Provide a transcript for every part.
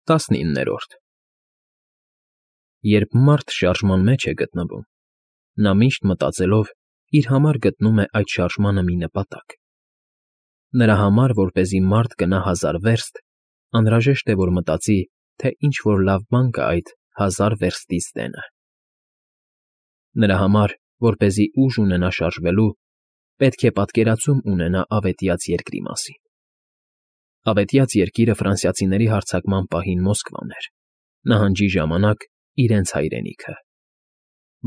19-րդ Երբ մարդ շարժման մեջ է գտնվում, նա միշտ մտածելով իր համար գտնում է այդ շարժմանը մի նպատակ. նրա համար, որպեսզի մարդ գնա 1000 վերստ, անհրաժեշտ է, որ մտածի, թե ինչ֊որ լավ բան կա այդ 1000 վերստից տենը։ Նրա համար, որպեսզի ուժ ունենա շարժվելու, պետք է պատկերացում ունենա ավետյաց երկրի մասին։ Ավետյաց երկիրը ֆրանսիացիների հարձակման պահին Մոսկվան էր, նահանջի ժամանակ իրենց հայրենիքը։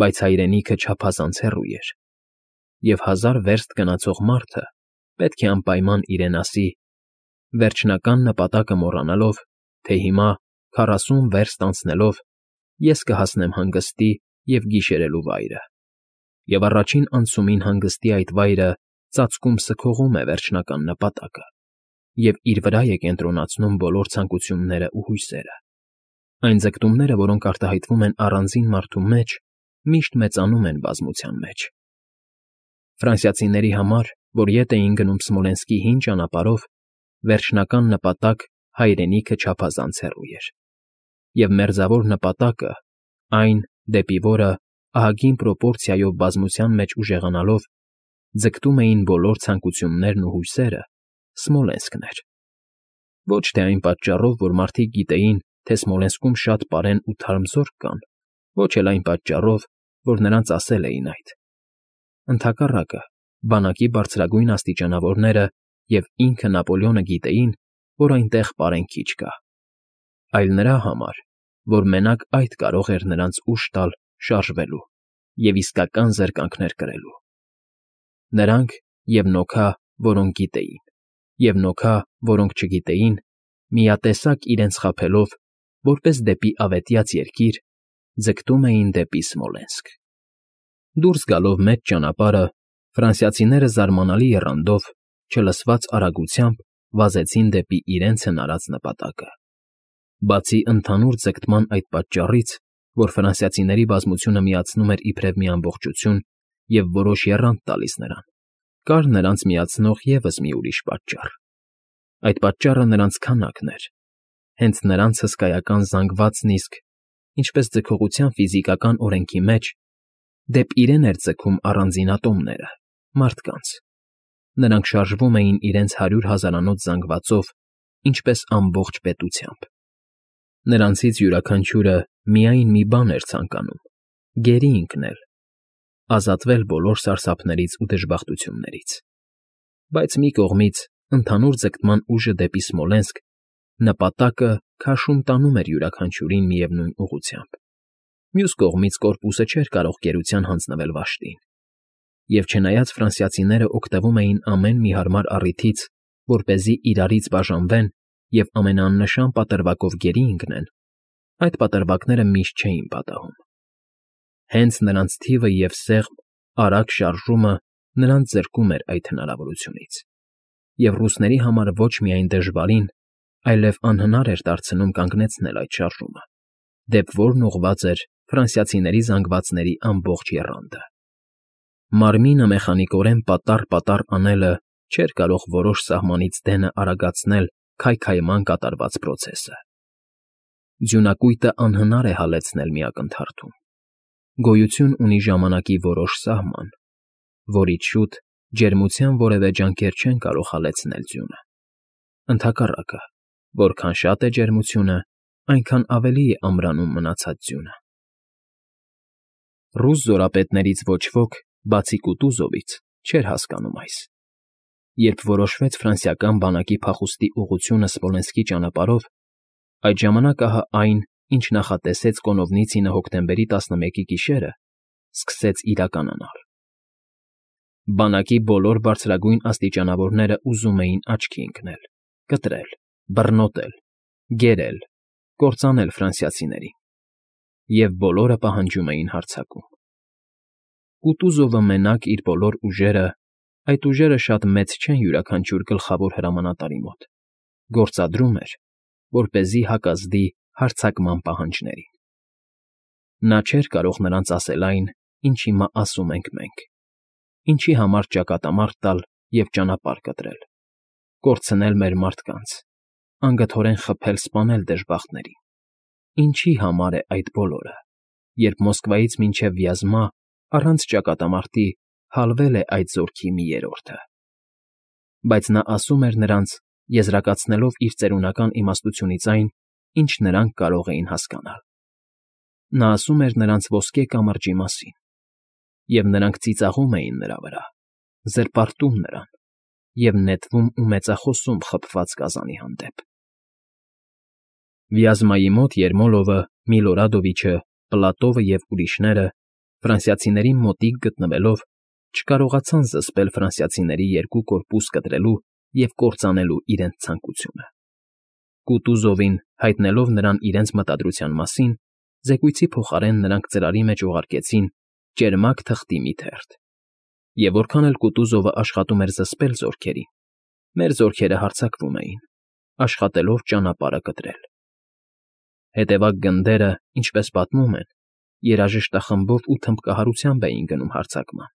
Բայց հայրենիքը չափազանց հեռու էր, և 1000 վերստ գնացող մարդը պետք է անպայման իրեն ասի, վերջնական նպատակը մոռանալով, թե հիմա 40 վերստ անցնելով ես կհասնեմ հանգստի և գիշերելու վայրը, և առաջին անցումին հանգստի այդ վայրը ծածկում սքողում է վերջնական նպատակը և իր վրա է կենտրոնացնում բոլոր ցանկություններն ու հույսերը։ Այն ձգտումները, որոնք արտահայտվում են առանձին մարդու մեջ, միշտ մեծանում են բազմության մեջ։ Ֆրանսիացիների համար, որ ետ էին գնում Սմոլենսկի հին ճանապարհով, վերջնական նպատակ հայրենիքը չափազանց հեռու էր, և մերձավոր նպատակը, այն, դեպի որը, ահագին պրոպորցիայով բազմության մեջ ուժեղանալով, ձգտում էին բոլոր ցանկություններն ու հույսերը, Սմոլենսկն էր։ Ոչ թե այն պատճառով, որ մարդիկ գիտեին, թե Սմոլենսկում շատ պարեն ու թարմ զորք կան, ոչ էլ այն պատճառով, որ նրանց ասել էին այդ։ Ընդհակառակը, բանակի բարձրագույն աստիճանավորները և ինքը Նապոլեոնը գիտեին, որ այնտեղ պարեն քիչ կա, այլ նրա համար, որ մենակ այդ կարող էր նրանց ուժ տալ շարժվելու և իսկական զրկանքներ կրելու։ Նրանք և Նոքա, որոնք գիտեին, և Նոքա, որոնք չգիտեին, միատեսակ իրենց խաբելով, որպես դեպի ավետյաց երկիր, ձգտում էին դեպի Սմոլենսկ։ Դուրս գալով մեծ ճանապարհը, ֆրանսիացիները զարմանալի եռանդով, չլսված արագությամբ վազեցին դեպի իրենց հնարած նպատակը։ Բացի ընդհանուր ձգտման այդ պատճառից, որ ֆրանսիացիների բազմությունը միացնում էր իբրև մի ամբողջություն և որոշ եռանդ տալիս նրան, կար նրանց միացնող ևս մի ուրիշ պատճառ։ Այդ պատճառը նրանց քանակն էր, հենց նրանց հսկայական զանգվածն իսկ, ինչպես ձգողության ֆիզիկական օրենքի մեջ, դեպ իրեն էր ձգում առանձին ատոմները, մարդկանց։ Նրանք շարժվում էին իրենց 100 հազարանոց զանգվածով, ինչպես ամբողջ պետությամբ։ Նրանցից յուրաքանչյուրը միայն մի բան էր ցանկանում՝ գերի ընկնել, ազատվել բոլոր սարսափներից ու դժբախտություններից։ Բայց մի կողմից ընդհանուր ձգտման ուժը դեպի Սմոլենսկ, նպատակը քաշում տանում էր յուրաքանչյուրին միևնույն ուղղությամբ։ Մյուս կողմից կորպուսը չէր կարող գերության հանձնվել վաշտին։ Եվ չնայած ֆրանսիացիները օգտվում էին ամեն մի հարմար առիթից, որպեսզի իրարից բաժանվեն և ամենաաննշան պատրվակով գերի ընկնեն, այդ պատրվակները միշտ չէին պատահում։ Հենց նրանց թիվը և սեղմ, արագ շարժումը նրանց զրկում էր այդ հնարավորությունից, և ռուսների համար ոչ միայն դժվարին, այլև անհնար էր դարձնում կանգնեցնել այդ շարժումը, դեպ որն ուղղված էր ֆրանսիացիների զանգվածների ամբողջ եռանդը։ Մարմինը մեխանիկորեն պատառ անելը չէր կարող որոշ սահմանից դենը արագացնել քայքայման կատարված պրոցեսը։ Ձյունակույտը անհնար է հալեցնել մի ակնթարթում։ Գոյություն ունի ժամանակի որոշ սահման, որից շուտ ջերմության որևէ ջանքեր չեն կարող հալեցնել ձյունը։ Ընդհակառակը, որքան շատ է ջերմությունը, այնքան ավելի է ամրանում մնացած ձյունը։ Ռուս զորապետներից ոչ ոք, բացի Կուտուզովից, չէր հասկանում այս։ Երբ որոշվեց ֆրանսիական բանակի փախուստի ուղղությունը Սմոլենսկի ճանապարհով, այդ ժամանակ ահա այն, ինչ նախատեսեց Կոնովնիցինը հոկտեմբերի 11-ի գիշերը, սկսեց իրականանալ։ Բանակի բոլոր բարձրագույն աստիճանավորները ուզում էին աչքի ընկնել, կտրել, բռնոտել, գերել, կործանել ֆրանսիացիներին, և բոլորը պահանջում էին հարձակում։ Կուտուզովը մենակ իր բոլոր ուժերը, այդ ուժերը շատ մեծ չեն յուրաքանչյուր գլխավոր հրամանատարի մոտ, գործադրում էր, որպեսզի հակազդի հարձակման պահանջներին։ Նա չէր կարող նրանց ասել այն, ինչ հիմա ասում ենք մենք, ինչի համար ճակատամարտ տալ և ճանապարհ կտրել, կորցնել մեր մարդկանց, անգթորեն խփել֊սպանել դժբախտներին։ Ինչի համար է այդ բոլորը, երբ Մոսկվայից մինչև Վյազմա առանց ճակատամարտի հալվել է այդ զորքի մի երրորդը։ Բայց նա ասում էր նրանց, եզրակացնելով իր ծերունական իմաստությունից այն, ինչ նրանք կարող էին հասկանալ։ Նա ասում էր նրանց ոսկե կամրջի մասին, և նրանք ծիծաղում էին նրա վրա, զրպարտում նրան և նետվում ու մեծախոսում խփված գազանի հանդեպ։ Վյազմայի մոտ Երմոլովը, Միլորադովիչը, Պլատովը և ուրիշները, ֆրանսիացիների մոտիկ գտնվելով, չկարողացան զսպել ֆրանսիացիների երկու կորպուս կտրելու և կործանելու իրենց ցանկությունը։ Կուտուզովին հայտնելով նրան իրենց մտադրության մասին, զեկույցի փոխարեն նրանք ծրարի մեջ ուղարկեցին ճերմակ թղթի մի թերթ, և որքան էլ Կուտուզովը աշխատում էր զսպել զորքերին, մեր զորքերը հարձակվում էին, աշխատելով ճանապարհը կտրել։ Հետևակ գնդերը, ինչպես պատմում են, երաժշտախմբով ու թմբկահարությամբ էին գնում հարձակման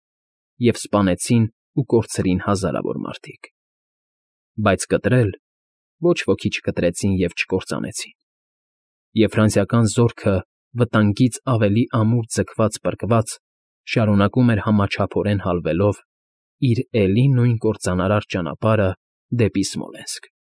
և սպանեցին ու կորցրին հազարավոր մարդիկ։ Բայց կտրել ոչ ոքի չկտրեցին և չկործանեցին։ Եվ ֆրանսիական զորքը, վտանգից ավելի ամուր ձգված֊պրկված, շարունակում էր համաչափորեն հալվելով իր էլի նույն կործանարար ճանապարհը դեպի Սմոլենսկ։